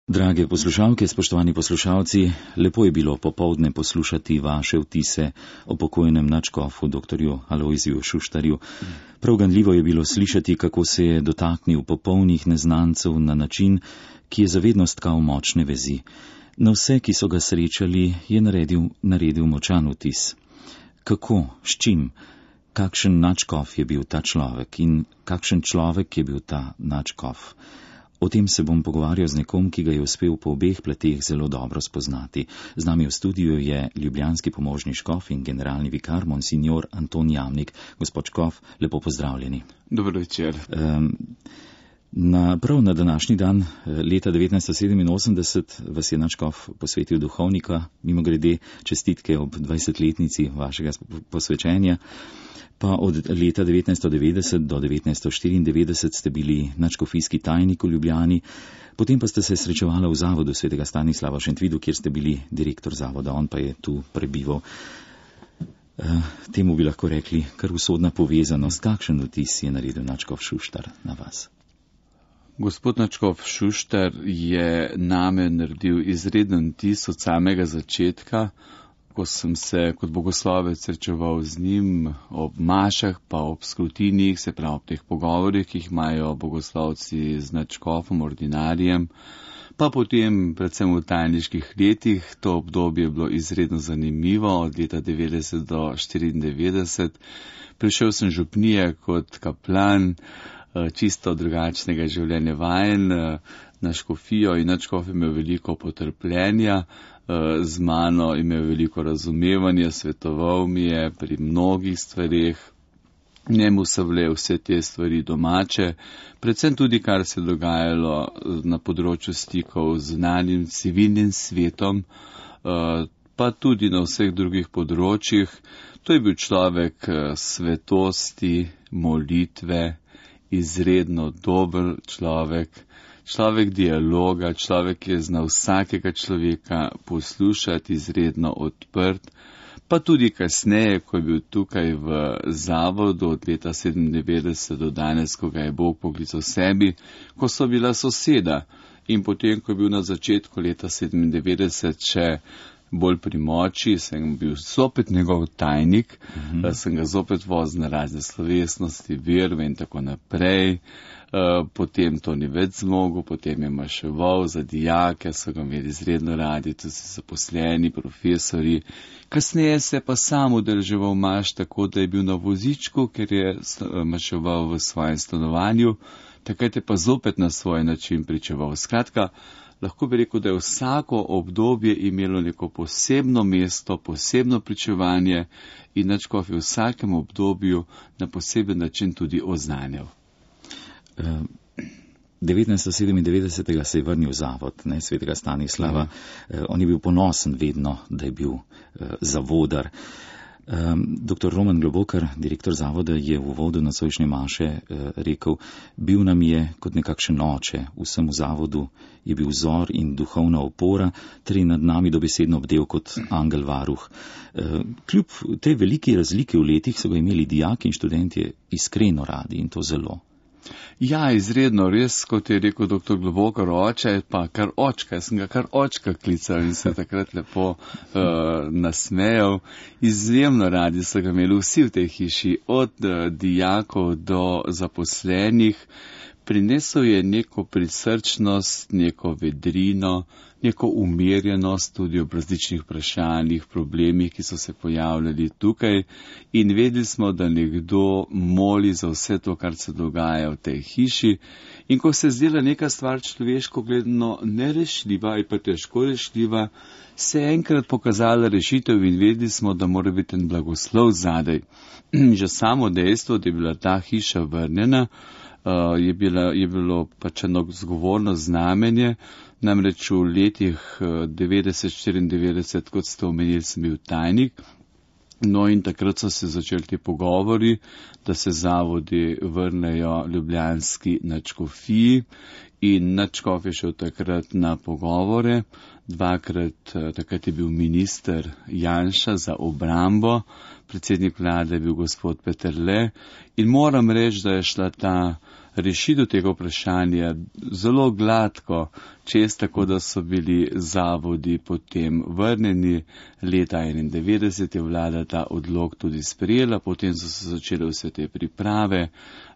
Drage poslušalke, spoštovani poslušalci, lepo je bilo popoldne poslušati vaše vtise o pokojnem nadškofu dr. Alojziju Šuštarju. Prav ganljivo je bilo slišati, kako se je dotaknil popolnih neznancev na način, ki je za vedno stkal močne vezi. Na vse, ki so ga srečali, je naredil močan vtis. Kako, s čim, kakšen nadškof je bil ta človek in kakšen človek je bil ta nadškof? O tem se bom pogovarjal z nekom, ki ga je uspel po obeh plateh zelo dobro spoznati. Z nami v studiu je ljubljanski pomožni škof in generalni vikar monsignor Anton Jamnik. Gospod škof, lepo pozdravljeni. Dobro večer. Prav na današnji dan, leta 1987, vas je nadškof posvetil duhovnika, mimogrede čestitke ob 20-letnici vašega posvečenja. Pa od leta 1990 do 1994 ste bili nadškofijski tajnik v Ljubljani, potem pa ste se srečevala v zavodu svetega Stanislava v Šentvidu, kjer ste bili direktor zavoda, on pa je tu prebival. Temu bi lahko rekli kar usodna povezanost. Kakšen vtis je naredil nadškof Šuštar na vas? Gospod nadškof Šuštar je name naredil izreden vtis od samega začetka, ko sem se kot bogoslovec srečeval z njim ob mašah, pa ob skrutinih, se pravi ob teh pogovorih, ki jih imajo bogoslovci z nadškofom, ordinarijem, pa potem predvsem v tajniških letih. To obdobje je bilo izredno zanimivo, od leta 90 do 94. Prišel sem župnije kot kaplan, čisto drugačnega življenja vajen, na škofijo in nadškof je imel veliko potrpljenja, z mano imel veliko razumevanja, svetoval mi je pri mnogih stvarih, njemu so bile vse te stvari domače, predvsem tudi kar se je dogajalo na področju stikov z zunanjim civilnim svetom, pa tudi na vseh drugih področjih. To je bil človek svetosti, molitve, izredno dober človek, človek dialoga, človek, ki je znal vsakega človeka poslušati, izredno odprt, pa tudi kasneje, ko je bil tukaj v zavodu od leta 97 do danes, ko ga je Bog poklical sebi, ko so bila soseda in potem, ko je bil na začetku leta 97 še bolj pri moči, sem bil zopet njegov tajnik, sem ga zopet vozil na razne slovesnosti, verve in tako naprej. Potem to ni več zmogel, potem je maševal za dijake, so ga imeli izredno radi, tudi zaposleni, profesori. Kasneje se pa sam udeleževal maš tako, da je bil na vozičku, ker je maševal v svojem stanovanju, takrat je pa zopet na svoj način pričeval. Skratka, lahko bi rekel, da je vsako obdobje imelo neko posebno mesto, posebno pričevanje in nadškof je v vsakem obdobju na poseben način tudi oznanjal. 1997. se je vrnil v zavod svetega Stanislava. On je bil ponosen vedno, da je bil zavodar. Dr. Roman Globokar, direktor zavoda, je v uvodu nocojšnje maše rekel: bil nam je kot nekakšen oče, vsem v zavodu je bil vzor in duhovna opora, ter je nad nami dobesedno bdel kot angel varuh. Kljub tej veliki razliki v letih so ga imeli dijaki in študentje iskreno radi in to zelo. Ja, izredno, res, kot je rekel dr. Globokar, oče, pa kar očka, jaz sem ga kar očka klical in se takrat lepo nasmejal. Izjemno radi so ga imeli vsi v tej hiši, od dijakov do zaposlenih. Prinesel je neko prisrčnost, neko vedrino, neko umirjenost tudi ob različnih vprašanjih, problemih, ki so se pojavljali tukaj in vedeli smo, da nekdo moli za vse to, kar se dogaja v tej hiši in ko se zdela neka stvar človeško gledano nerešljiva ali pa težko rešljiva, se je enkrat pokazala rešitev in vedeli smo, da mora biti en blagoslov zadaj. Že samo dejstvo, da je bila ta hiša vrnjena, je bilo pač eno zgovorno znamenje. Namreč v letih 90-94, kot ste omenili, sem bil tajnik, no in takrat so se začeli ti pogovori, da se zavodi vrnejo ljubljanski nadškofiji In nadškof je šel takrat na pogovore, dvakrat, takrat je bil minister Janša za obrambo, predsednik vlade je bil gospod Peterle in moram reči, da je šla ta rešitev tega vprašanja zelo gladko, čez tako, da so bili zavodi potem vrnjeni. Leta 1991 je vlada ta odlok tudi sprejela, potem so se začele vse te priprave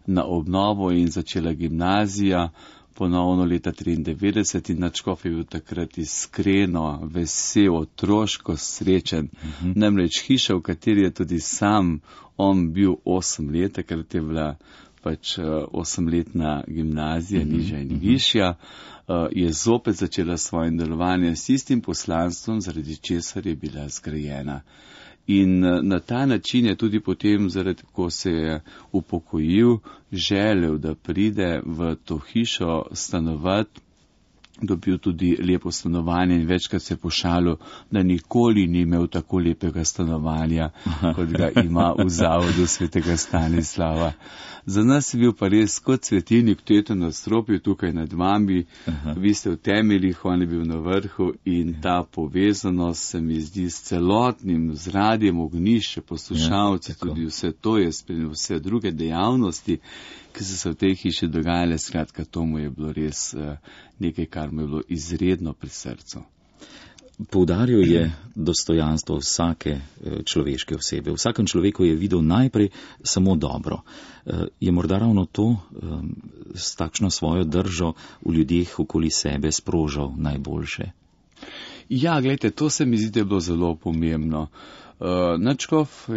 na obnovo in začela gimnazija, ponovno leta 1993 in nadškof je bil takrat iskreno vesel, otroško srečen. Namreč hiša, v kateri je tudi sam on bil 8 let, takrat je bila pač 8-letna gimnazija, nižja in višja, je zopet začela svojim delovanjem s istim poslanstvom, zaradi česar je bila zgrajena. In na ta način je tudi potem, zaradi ko se je upokojil, želel, da pride v to hišo stanovati, dobil tudi lepo stanovanje in večkrat se pošalil, da nikoli ni imel tako lepega stanovanja, kot ga ima v zavodu svetega Stanislava. Za nas je bil pa res kot svetilnik v teto nadstropju tukaj nad vami. Vi ste v temeljih, on je bil na vrhu in ta povezanost se mi zdi s celotnim, z radiem Ognišče, poslušalci, tudi vse to je spremljeno, vse druge dejavnosti, ki so se v tej hiši dogajale, skratka, to mu je bilo res nekaj, kar mu je bilo izredno pri srcu. Poudaril je dostojanstvo vsake človeške osebe. V vsakem človeku je videl najprej samo dobro. Je morda ravno to s takšno svojo držo v ljudeh okoli sebe sprožal najboljše? Ja, gledajte, to se mi zdi, da je bilo zelo pomembno. Nadškof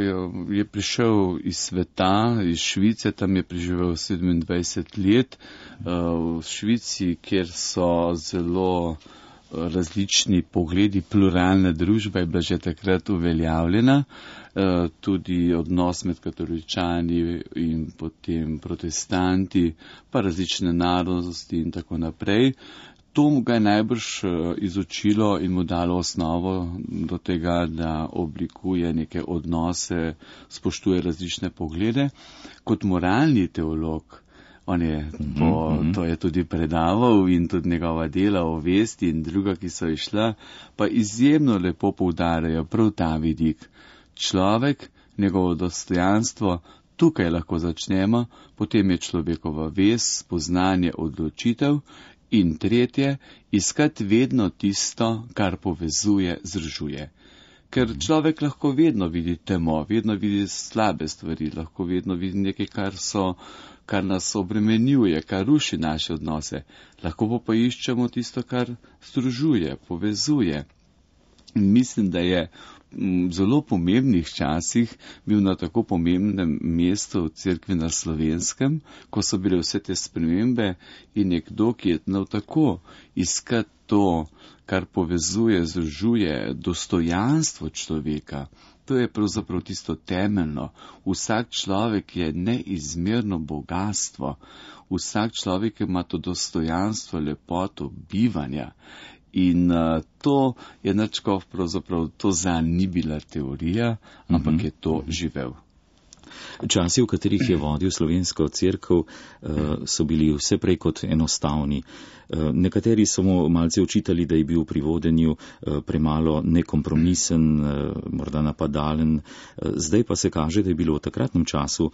je prišel iz sveta, iz Švice, tam je preživel 27 let. V Švici, kjer so zelo različni pogledi, pluralna družba je bila že takrat uveljavljena, tudi odnos med katoličani in potem protestanti, pa različne narodnosti in tako naprej. To mu ga je najbrž izučilo in mu dalo osnovo do tega, da oblikuje neke odnose, spoštuje različne poglede. Kot moralni teolog, on je to je tudi predaval in tudi njegova dela o vesti in druga, ki so išla, pa izjemno lepo poudarjajo prav ta vidik. Človek, njegovo dostojanstvo, tukaj lahko začnemo, potem je človekova vest, spoznanje, odločitev. In tretje, iskati vedno tisto, kar povezuje, združuje. Ker človek lahko vedno vidi temo, vedno vidi slabe stvari, lahko vedno vidi nekaj, kar nas obremenjuje, kar ruši naše odnose. Lahko pa iščemo tisto, kar združuje, povezuje. In mislim, da je v zelo pomembnih časih bil na tako pomembnem mestu v cerkvi na Slovenskem, ko so bile vse te spremembe in nekdo, ki je znal tako iskati to, kar povezuje, združuje, dostojanstvo človeka. To je pravzaprav tisto temeljno. Vsak človek je neizmerno bogatstvo. Vsak človek ima to dostojanstvo, lepoto bivanja. In to je nadškof pravzaprav, to zanj ni bila teorija, ampak je to živel. Časi, v katerih je vodil slovensko cerkev, so bili vse prej kot enostavni. Nekateri so mu malce očitali, da je bil pri vodenju premalo nekompromisen, morda napadalen. Zdaj pa se kaže, da je bilo v takratnem času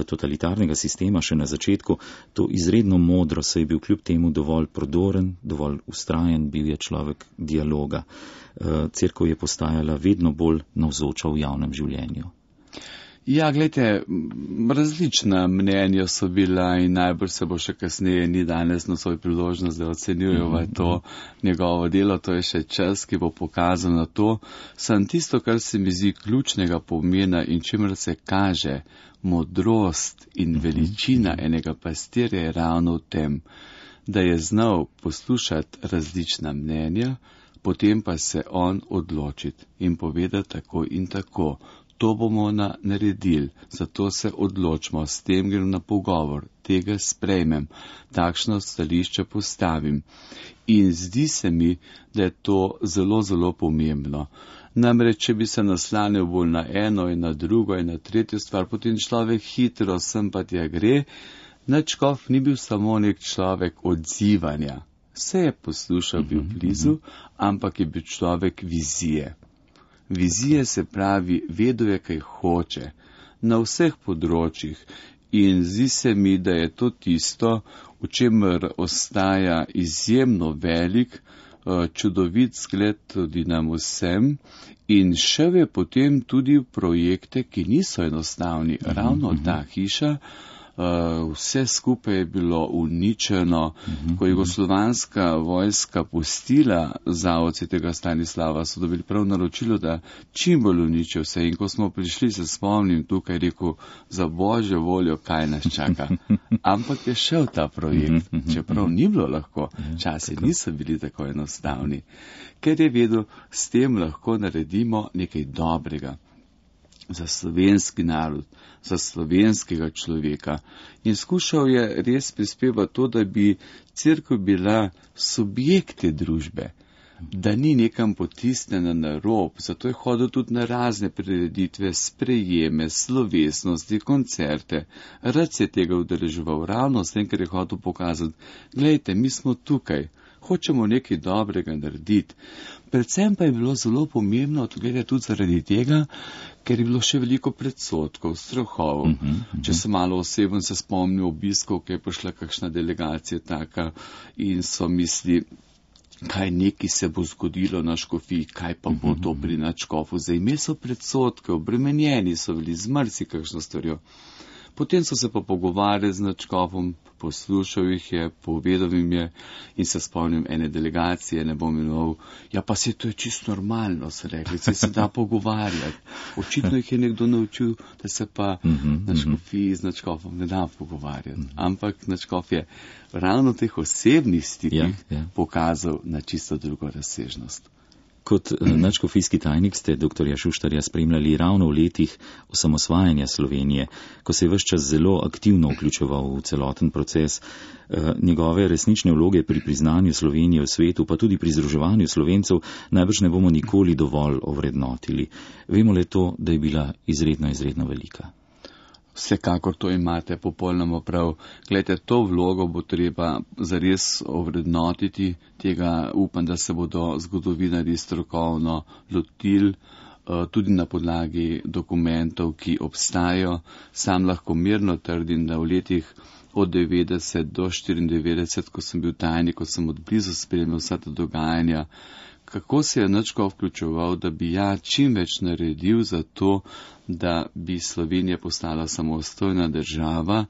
totalitarnega sistema še na začetku to izredno modro, saj je bil kljub temu dovolj prodoren, dovolj vztrajen, bil je človek dialoga. Cerkev je postajala vedno bolj navzoča v javnem življenju. Ja, gledajte, različna mnenja so bila in najbolj se bo še kasneje, ni danes na svoj priložnost, da ocenjujeva to njegovo delo, to je še čas, ki bo pokazal na to. Sam tisto, kar se mi zdi ključnega pomena in čemer se kaže modrost in veličina enega pastirja je ravno v tem, da je znal poslušati različna mnenja, potem pa se on odločiti in povedati tako in tako. To bomo naredili, zato se odločimo, s tem grem na pogovor, tega sprejmem, takšno stališče postavim. In zdi se mi, da je to zelo, zelo pomembno. Namreč, če bi se naslanil bolj na eno in na drugo in na tretjo stvar, potem človek hitro sem pa tja gre, Nadškof ni bil samo nek človek odzivanja. Vse je poslušal, bil blizu, ampak je bil človek vizije. Vizije se pravi, vedel je, kaj hoče, na vseh področjih. In zdi se mi, da je to tisto, v čemer ostaja izjemno velik, čudovit zgled tudi nam vsem, in šel je potem tudi v projekte, ki niso enostavni. Ravno ta hiša, vse skupaj je bilo uničeno. Ko je jugoslovanska vojska pustila zavod Svetega Stanislava, so dobili prav naročilo, da čim bolj uničijo vse. In ko smo prišli, se spomnim, tukaj rekel, za božjo voljo, kaj nas čaka. Ampak je šel ta projekt, čeprav ni bilo lahko. Časi niso bili tako enostavni. Ker je vedel, s tem lahko naredimo nekaj dobrega za slovenski narod, za slovenskega človeka. In skušal je res prispevati to, da bi cerkev bila subjekte družbe, da ni nekam potisnjena na rob. Zato je hodil tudi na razne prireditve, sprejeme, slovesnosti, koncerte. Rad se je tega udeleževal, ravno s tem, ker je hotel pokazati, glejte, mi smo tukaj, hočemo nekaj dobrega narediti. Predvsem pa je bilo zelo pomembno, tudi zaradi tega, ker je bilo še veliko predsotkov, strahov. Če sem malo oseben, se spomnil obiskov, ki je prišla kakšna delegacija taka in so misli, kaj neki se bo zgodilo na škofiji, kaj pa bo to pri nadškofu. Zdaj imeli so predsotke, obremenjeni so bili z marsikakšno stvarjo. Potem so se pa pogovarjali z nadškofom, poslušal jih je, povedal jim je in se spomnim ene delegacije, ne bom imenoval, ja pa se to je čisto normalno, so rekli, se da pogovarjati. Očitno jih je nekdo naučil, da se pa na škofiji z nadškofom ne da pogovarjati. Ampak nadškof je ravno v teh osebnih stikih pokazal na čisto drugo razsežnost. Kot nadškofijski tajnik ste dr. Šuštarja spremljali ravno v letih osamosvajanja Slovenije, ko se je ves čas zelo aktivno vključeval v celoten proces. Njegove resnične vloge pri priznanju Slovenije v svetu, pa tudi pri združevanju Slovencev, najbrž ne bomo nikoli dovolj ovrednotili. Vemo le to, da je bila izredno velika. Vsekakor to imate popolnoma prav. Glejte, to vlogo bo treba zares ovrednotiti, tega upam, da se bodo zgodovinarji strokovno lotili, tudi na podlagi dokumentov, ki obstajajo. Sam lahko mirno trdim, da v letih od 90 do 94, ko sem bil tajnik, ko sem odblizu spremljal vsa ta dogajanja, kako se je nadškof vključeval, da bi čim več naredil za to, da bi Slovenija postala samostojna država,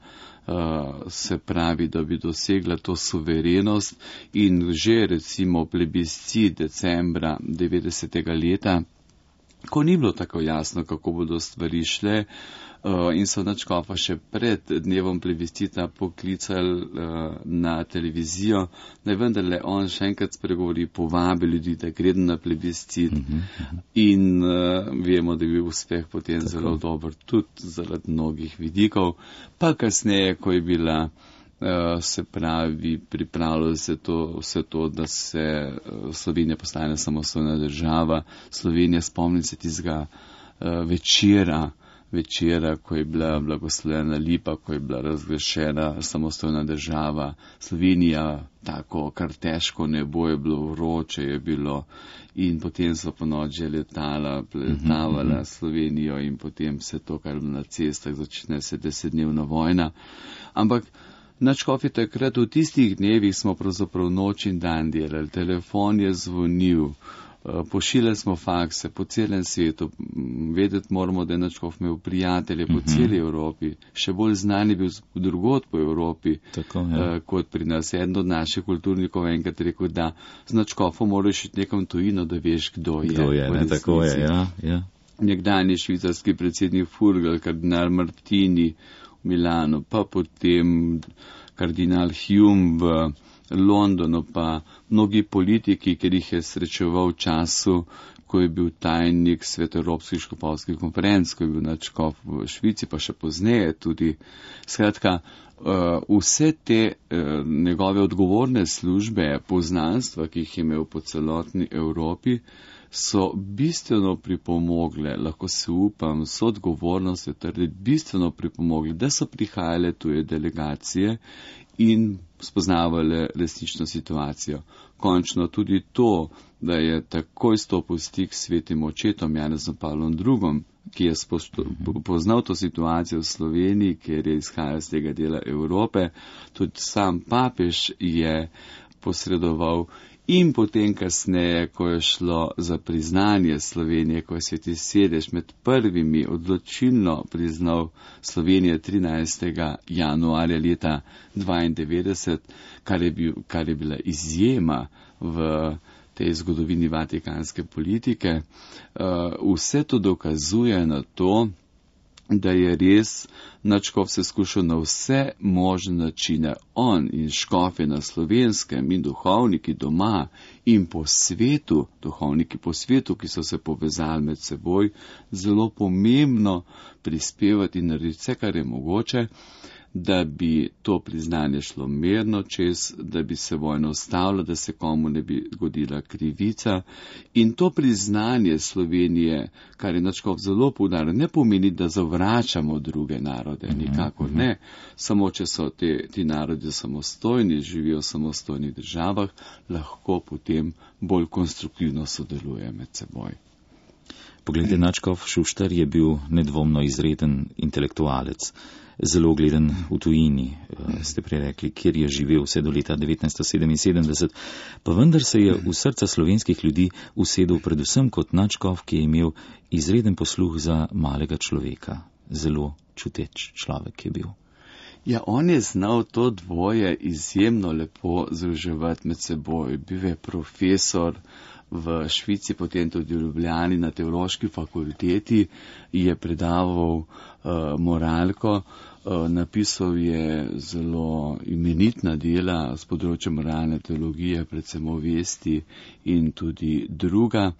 se pravi, da bi dosegla to suverenost in že recimo plebiscit decembra 90. leta, ko ni bilo tako jasno, kako bodo stvari šle, in so nadškofa še pred dnevom plebiscita poklicali na televizijo, da je vendarle on še enkrat spregovori, povabi ljudi, da gredo na plebiscit. In vemo, da je bil uspeh potem zelo dober, tudi zaradi mnogih vidikov. Pa kasneje, ko je bila, se pravi, pripravljalo se vse to, da se Slovenija postane samostojna država. Slovenija, spomnim se tistega večera, ko je bila blagoslovljena lipa, ko je bila razglašena samostojna država. Slovenija, tako kar težko nebo je bilo, vroče je bilo in potem so po noči letavala Slovenijo in potem se to, kar je bilo na cestah, začne se 10-dnevna vojna. Ampak nadškof je takrat, v tistih dnevih smo pravzaprav noč in dan delali, telefon je zvonil, pošiljali smo fakse po celem svetu, vedeti moramo, da je nadškof imel prijatelje po celi Evropi, še bolj znani bil drugod po Evropi, kot pri nas. Eden od naših kulturnikov enkrat rekel, da z nadškofom moraš iti nekam tujino, da veš, kdo je. Tako je, ja. Nekdanji švicarski predsednik Furgal, kardinal Martini v Milanu, pa potem kardinal Hume v Londonu, pa mnogi politiki, ker jih je srečeval v času, ko je bil tajnik Svetoevropskih škofovskih konferenc, ko je bil nadškof v Švici, pa še pozneje tudi. Skratka, vse te njegove odgovorne službe, poznanstva, ki jih je imel po celotni Evropi, so bistveno pripomogle, lahko se upam, so odgovornost trditi, bistveno pripomogle, da so prihajale tuje delegacije in spoznavale resnično situacijo. Končno tudi to, da je takoj stopil stik s svetim očetom Janezom Pavlom II., ki je poznal to situacijo v Sloveniji, ker je izhajal z tega dela Evrope, tudi sam papež je posredoval. In potem kasneje, ko je šlo za priznanje Slovenije, ko je Sveti Sedež med prvimi odločilno priznal Slovenijo 13. januarja leta 1992, kar je bila izjema v tej zgodovini vatikanske politike, vse to dokazuje na to, da je res nadškof se skušal na vse možne načine, on in škofe na Slovenskem in duhovniki doma in po svetu, duhovniki po svetu, ki so se povezali med seboj, zelo pomembno prispevati in narediti vse, kar je mogoče, da bi to priznanje šlo mirno čez, da bi se vojna ustavila, da se komu ne bi godila krivica. In to priznanje Slovenije, kar je nadškof zelo poudaril, ne pomeni, da zavračamo druge narode, nikakor ne. Samo če so ti narodi samostojni, živijo v samostojnih državah, lahko potem bolj konstruktivno sodelujejo med seboj. Poglejte, nadškof Šuštar je bil nedvomno izreden intelektualec. Zelo gleden v tujini, ste prej rekli, kjer je živel vse do leta 1977, pa vendar se je v srca slovenskih ljudi usedel predvsem kot nadškof, ki je imel izreden posluh za malega človeka. Zelo čuteč človek je bil. Ja, on je znal to dvoje izjemno lepo združevati med seboj. Bil je profesor v Švici, potem tudi v Ljubljani na teološki fakulteti, je predaval moralko, napisal je zelo imenitna dela z področja moralne teologije, predvsem o vesti in tudi druga.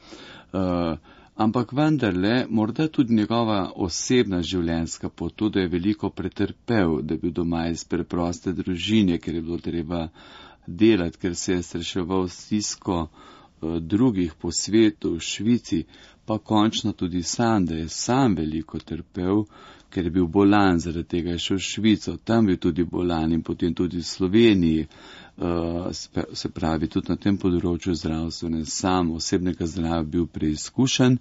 Ampak vendarle, morda tudi njegova osebna življenjska pot, to, da je veliko pretrpel, da je bil doma iz preproste družine, ker je bilo treba delati, ker se je srečeval s stisko drugih po svetu, v Švici, pa končno tudi sam, da je sam veliko trpel, ker je bil bolan, zaradi tega je šel v Švico, tam bil tudi bolan in potem tudi v Sloveniji, se pravi, tudi na tem področju zdravstvene, sam osebnega zdravja bil preizkušen.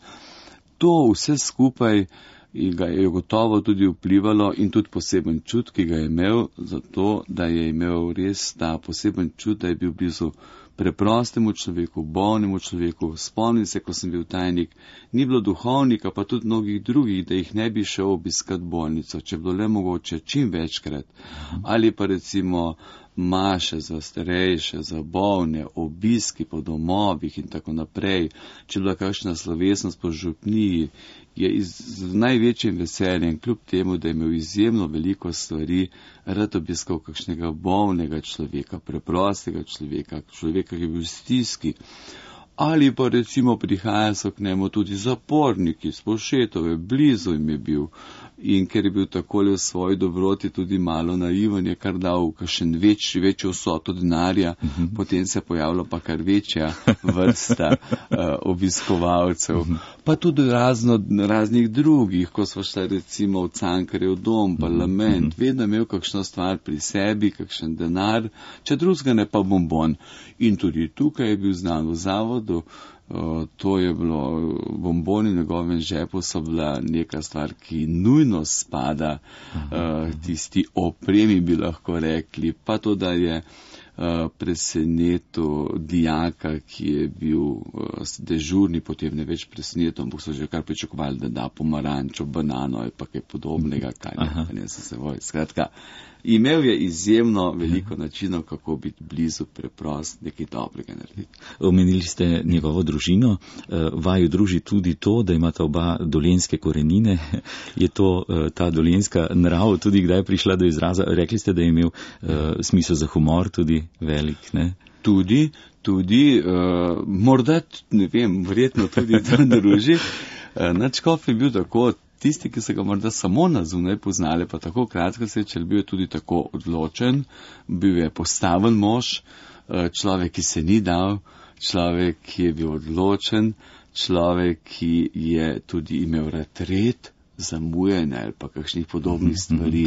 To vse skupaj ga je gotovo tudi vplivalo in tudi poseben čut, ki ga je imel, zato da je imel res ta poseben čut, da je bil blizu preprostemu človeku, bolnemu človeku. Spomnim se, ko sem bil tajnik, ni bilo duhovnika, pa tudi mnogih drugih, da jih ne bi šel obiskat bolnico, če bilo le mogoče čim večkrat. Ali pa recimo maše za starejše, za bolne, obiski po domovih in tako naprej. Če bila kakšna slovesnost po župniji, je z največjim veseljem, kljub temu, da je imel izjemno veliko stvari, rad obiskal kakšnega bolnega človeka, preprostega človeka, človeka, ki je bil v stiski. Ali pa recimo prihajajo so k njemu tudi zaporniki z Povšetove, blizu jim je bil. In ker je bil takole v svoji dobroti tudi malo naiven, je kar dal kakšen večjo vsoto denarja, potem se je pojavila pa kar večja vrsta obiskovalcev. Pa tudi raznih drugih, ko smo šli recimo v Cankarjev dom, parlament, vedno imel kakšno stvar pri sebi, kakšen denar, če drugega ne pa bonbon. In tudi tukaj je bil znan v zavodu. To je bilo, bomboni v njegovem žepu so bila neka stvar, ki nujno spada tisti opremi, bi lahko rekli, pa to, da je presenetil dijaka, ki je bil dežurni, potem ne več presenetil, ampak so že kar pričakovali, da da pomarančo, banano ali pa kaj podobnega, kaj ne se sevoj. Skratka, imel je izjemno veliko načinov, kako biti blizu, preprost, nekaj dobrega narediti. Omenili ste njegovo družino, vaju druži tudi to, da imata oba dolenjske korenine. Je to ta dolenjska nrav tudi kdaj prišla do izraza? Rekli ste, da je imel smisel za humor tudi velik, ne? Tudi, morda, ne vem, verjetno tudi to druži. Nadškof je bil tako, tisti, ki so ga morda samo na zunaj poznali, pa tako kratko srečali, bil je tudi tako odločen, bil je postaven mož, človek, ki se ni dal, človek, ki je bil odločen, človek, ki je tudi imel retret, zamujanje ali pa kakšnih podobnih stvari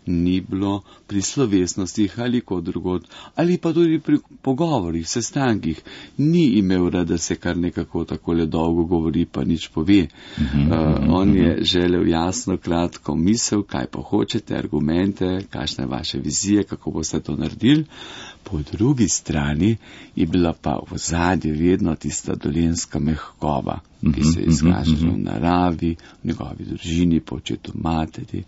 ni bilo pri slovesnostih ali kot drugod, ali pa tudi pri pogovorih, sestankih. Ni imel rad, da se kar nekako takole dolgo govori, pa nič pove. On je želel jasno, kratko misel, kaj pa hočete, argumente, kakšna je vaša vizija, kako boste to naredili. Po drugi strani je bila pa v zadnji vedno tista dolenjska mehkoba, ki se je izkažala v naravi, v njegovi družini, po očetu, materi,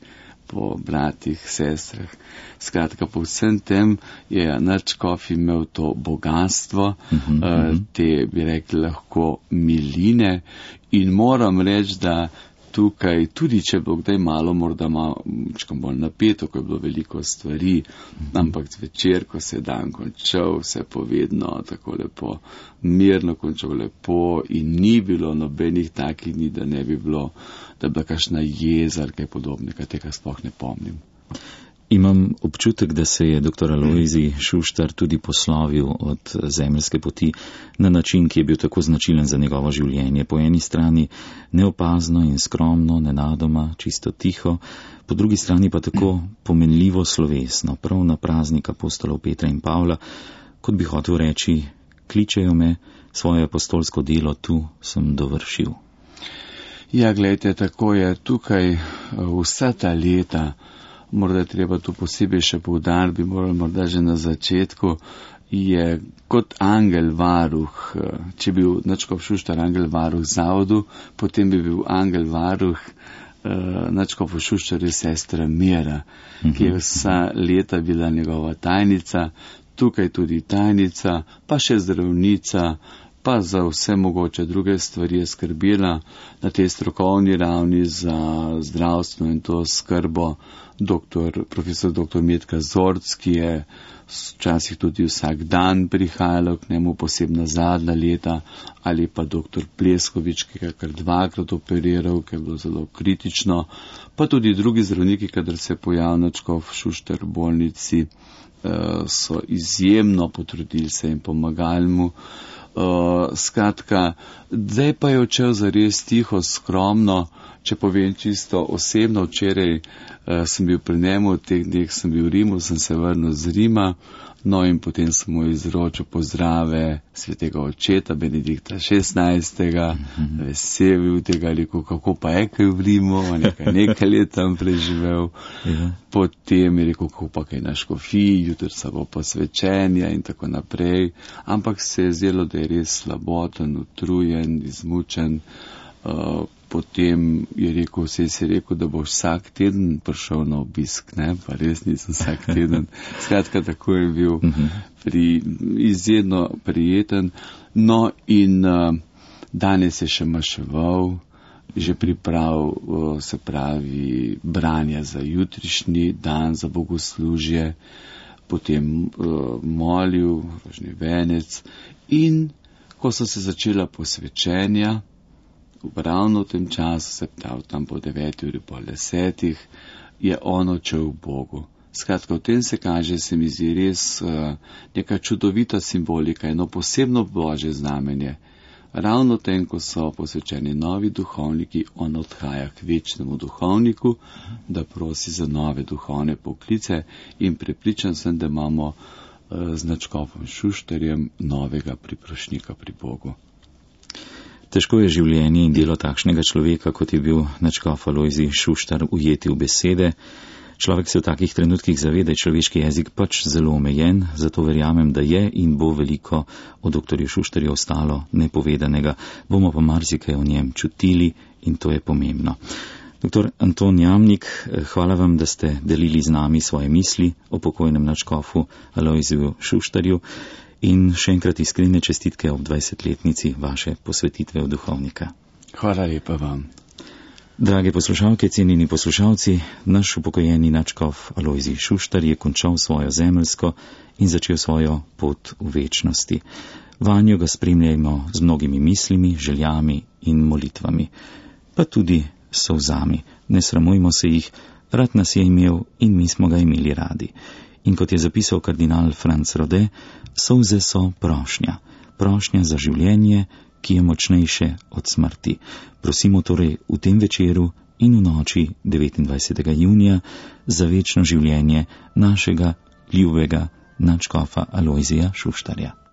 po bratih, sestrah. Skratka, po vsem tem je nadškof imel to bogatstvo, te, bi rekli, lahko miline, in moram reči, da tukaj, tudi če bo kdaj malo, morda malo bolj napeto, ko je bilo veliko stvari, ampak zvečer, ko se je dan končal, se je povedno tako lepo, mirno končal lepo in ni bilo nobenih takih dni, da ne bi bilo, da bi bila kakšna jeza ali kaj podobnega, tega sploh ne pomnim. Imam občutek, da se je dr. Alojzij Šuštar tudi poslovil od zemeljske poti na način, ki je bil tako značilen za njegovo življenje. Po eni strani neopazno in skromno, nenadoma, čisto tiho, po drugi strani pa tako pomenljivo slovesno, prav na praznik apostolov Petra in Pavla, kot bi hotel reči, kličejo me, svoje apostolsko delo tu sem dovršil. Ja, gledajte, tako je tukaj vsa ta leta. Morda je treba tu posebej še poudariti, bi morali morda že na začetku, je kot angel varuh. Če bi bil nadškof Šuštar angel varuh zavodu, potem bi bil angel varuh nadškofu Šuštarju sestra Mira, ki je vsa leta bila njegova tajnica, tukaj tudi tajnica, pa še zdravnica, pa za vse mogoče druge stvari je skrbela na tej strokovni ravni za zdravstvo in to skrbo. Profesor dr. Metka Zorc, ki je včasih tudi vsak dan prihajalo k njemu, posebna zadnja leta, ali pa dr. Pleskovič, ki ga kar dvakrat operiral, ki je bilo zelo kritično, pa tudi drugi zdravniki, kadar se pojavil nadškof Šuštar v bolnici, so izjemno potrudili se in pomagali mu. Skratka, zdaj pa je odšel zares tiho, skromno. Če povem čisto osebno, včeraj sem bil pri njemu, v teh dneh sem bil v Rimu, sem se vrnil z Rima, no in potem sem mu izročil pozdrave svetega očeta Benedikta XVI, vesel bil tega, rekel, kako pa je kaj v Rimu, nekaj let tam preživel. Potem je rekel, kako pa kaj na škofiji, jutri se bo posvečenja in tako naprej, ampak se je zdelo, da je res slaboten, utrujen, izmučen. Potem je rekel, si rekel, da bo vsak teden prišel na obisk, ne, pa res nisem vsak teden. Skratka, tako je bil izjedno prijeten. No in danes je še maševal, že priprav, se pravi, branja za jutrišnji dan, za bogoslužje, potem molil, rožni venec in ko so se začela posvečenja, ravno v tem času, se pravi tam po 9 uri, po 10, je on odšel v Bogu. Skratka, v tem se kaže, se mi zdi res neka čudovita simbolika, eno posebno božje znamenje. Ravno tem, ko so posvečeni novi duhovniki, on odhaja k večnemu duhovniku, da prosi za nove duhovne poklice in prepričan sem, da imamo z nadškofom Šuštarjem novega priprošnika pri Bogu. Težko je življenje in delo takšnega človeka, kot je bil nadškof Alojzij Šuštar, ujeti v besede. Človek se v takih trenutkih zaveda, je človeški jezik pač zelo omejen, zato verjamem, da je in bo veliko o doktorju Šuštarju ostalo nepovedanega. Bomo pa marsikaj o njem čutili in to je pomembno. Dr. Anton Jamnik, hvala vam, da ste delili z nami svoje misli o pokojnem nadškofu Alojziju Šuštarju. In še enkrat iskrene čestitke ob 20-letnici vaše posvetitve v duhovnika. Hvala lepa vam. Drage poslušalke, cenjeni poslušalci, naš upokojeni nadškof Alojzij Šuštar je končal svojo zemeljsko in začel svojo pot v večnosti. Vanjo ga spremljajmo z mnogimi mislimi, željami in molitvami, pa tudi solzami. Ne sramujmo se jih, rad nas je imel in mi smo ga imeli radi. In kot je zapisal kardinal Franc Rode, solze so prošnja. Prošnja za življenje, ki je močnejše od smrti. Prosimo torej v tem večeru in v noči 29. junija za večno življenje našega ljubega nadškofa Alojzija Šuštarja.